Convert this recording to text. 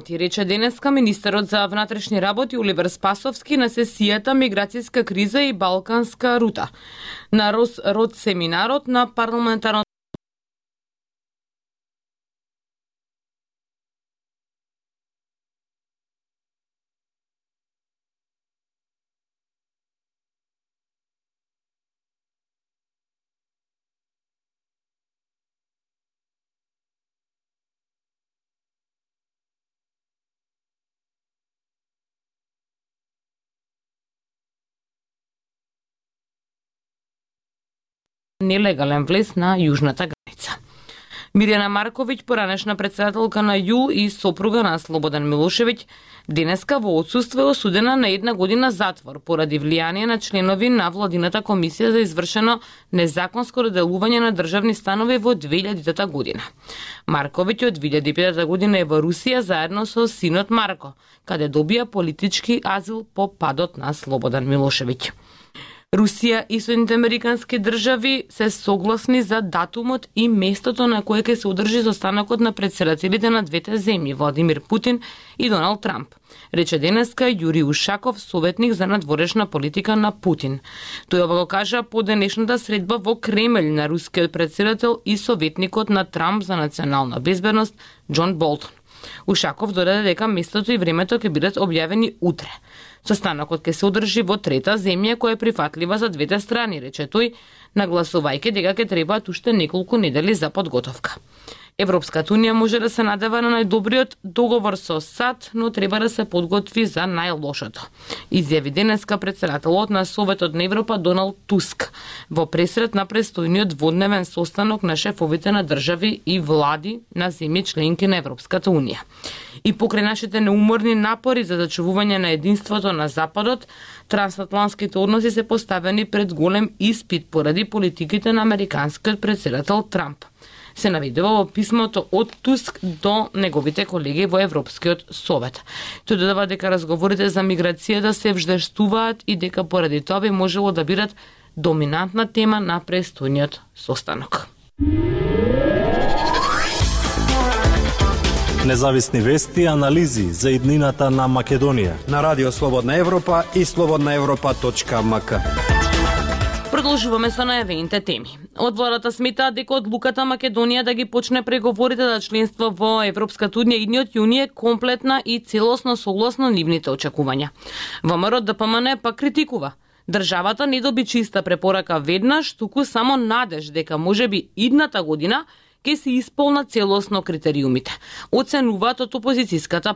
Ти рече денеска министерот за внатрешни работи Оливер Спасовски на сесијата Миграцијска криза и Балканска рута на род семинарот на парламентарно нелегален влез на јужната граница. Мирјана Марковиќ, поранешна председателка на ЈУЛ и сопруга на Слободан Милошевиќ, денеска во отсуство е осудена на 1 година затвор поради влијание на членови на владината комисија за извршено незаконско доделување на државни станови во 2000 година. Марковиќ од 2005 година е во Русија заедно со синот Марко, каде добија политички азил по падот на Слободан Милошевиќ. Русија и Соединените американски држави се согласни за датумот и местото на кое ќе се одржи состанокот на претседателите на двете земји, Владимир Путин и Доналд Трамп, рече денеска Јури Ушаков, советник за надворешна политика на Путин. Тој ова го кажа по денешната средба во Кремљ на рускиот претседател и советникот на Трамп за национална безбедност Џон Болтон. Ушаков додаде дека местото и времето ќе бидат објавени утре. Состанокот ќе се одржи во трета земја која е прифатлива за двете страни, рече тој, нагласувајќи дека ќе требаат уште неколку недели за подготовка. Европската унија може да се надева на најдобриот договор со САД, но треба да се подготви за најлошото, изјави денеска председателот на Советот на Европа Доналд Туск во пресрет на престојниот дводневен состанок на шефовите на држави и влади на земји членки на Европската унија. И покрај нашите неуморни напори за зачувување на единството на Западот, трансатлантските односи се поставени пред голем испит поради политиките на американскиот претседател Трамп, се наведува во писмото од Туск до неговите колеги во Европскиот совет. Тој додава дека разговорите за миграцијата се вждештуваат и дека поради тоа би можело да бидат доминантна тема на престојниот состанок. Независни вести и анализи за иднината на Македонија на Радио Слободна Европа и slobodnaevropa.mk. Продолжуваме со најавените теми. Од владата сметаат дека одлуката Македонија да ги почне преговорите за членство во Европската унија идниот јуни е комплетна и целосно согласно нивните очекувања. ВМРО ДПМН пак критикува. Државата не доби чиста препорака веднаш, туку само надеж дека можеби идната година ќе се исполнат целосно критериумите, оценуваат од опозицијската